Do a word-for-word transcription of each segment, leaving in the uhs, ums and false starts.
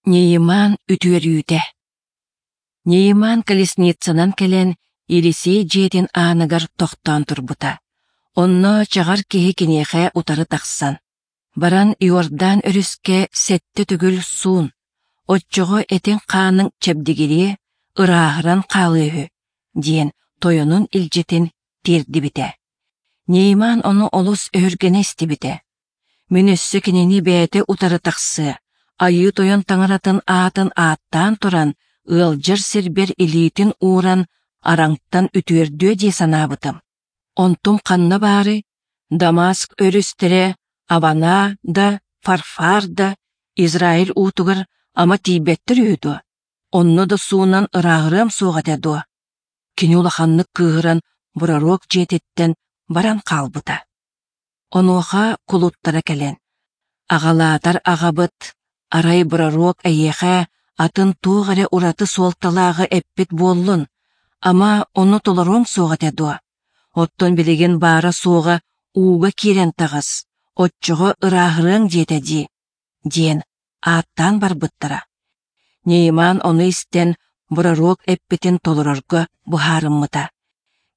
Нейман үтүөрүүтэ Нейман колесницанан кэлэн Елисей дьиэтин ааныгар тохтоон турбута. Онно чаҕар киһи киниэхэ утары тахсан, баран Иордан өрүскэ сэттэ төгүл суун, оччоҕо этиҥ-хааныҥ чэбдигириэ, ырааһыран хаалыа үһү, диэн тойонун илдьитин тиэрдибитэ. Нейман ону олус өһүргэнэ истибитэ. Мин өссө кинини бэйэтэ утары тахсыа, Айыы Тойон таҥаратын аатын ааттаан туран, ыалдьар сирбэр илиитин ууран араҥтан үтүөрдүө дии санаабытым. Онтум ханна баарый? Дамаск өрүстэрэ Авана да, Фарфар да Израиль уутугар ама тиийбэттэр үһү дуо? Онно да суунан ырааҕырыам суох этэ дуо? Кини улаханнык кыыһыран пророк дьиэтиттэн баран хаалбыта. Онуоха кулуттара кэлэн, «Аҕалаатар аҕабыт, арай пророк эйиэхэ атын туох эрэ ураты суолталааҕы эппит буоллун, ама ону толоруоҥ суох этэ дуо? Оттон билигин баара-суоҕа ууга киирэн таҕыс, оччоҕо ырааһырыаҥ диэтэ дии» диэн ааттаан барбыттара. Нейман ону истэн пророк эппитин толорорго быһаарыммыта.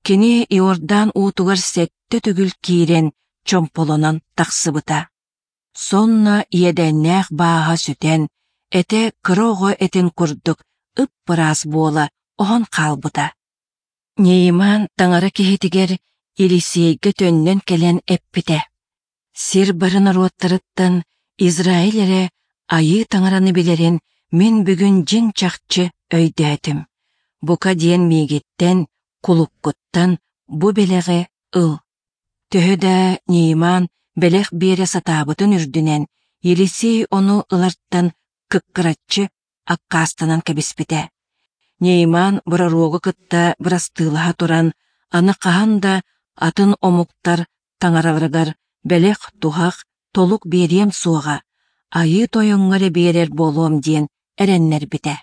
Кини Иордан уутугар сэттэ төгүл киирэн чомполонон тахсыбыта. Сонно иэдээннээх бааһа сүтэн, этэ кыра оҕо этин курдук ып-ыраас буола оһон хаалбыта. Нейман таҥара киһитигэр Елисейгэ төннөн кэлэн эппитэ: «Сир бары норуоттарыттан Израиль эрэ Айыы Таҥараны билэрин мин бүгүн дьиҥ-чахчы өйдөөтүм. Бука диэн миигиттэн, кулуккуттан бу бэлэҕи ыл». Төһө да Нейман бэлэх биэрэ сатаабытын үрдүнэн, Елисей ону ылартан кыккыраччы аккаастанан кэбиспитэ. Нейман пророгу кытта бырастыылаһа туран, аны хаһан да атын омуктар таҥараларыгар бэлэх-туһах, толук биэриэм суоҕа, Айыы Тойоҥҥо эрэ биэрэр буолуом диэн эрэннэрбитэ.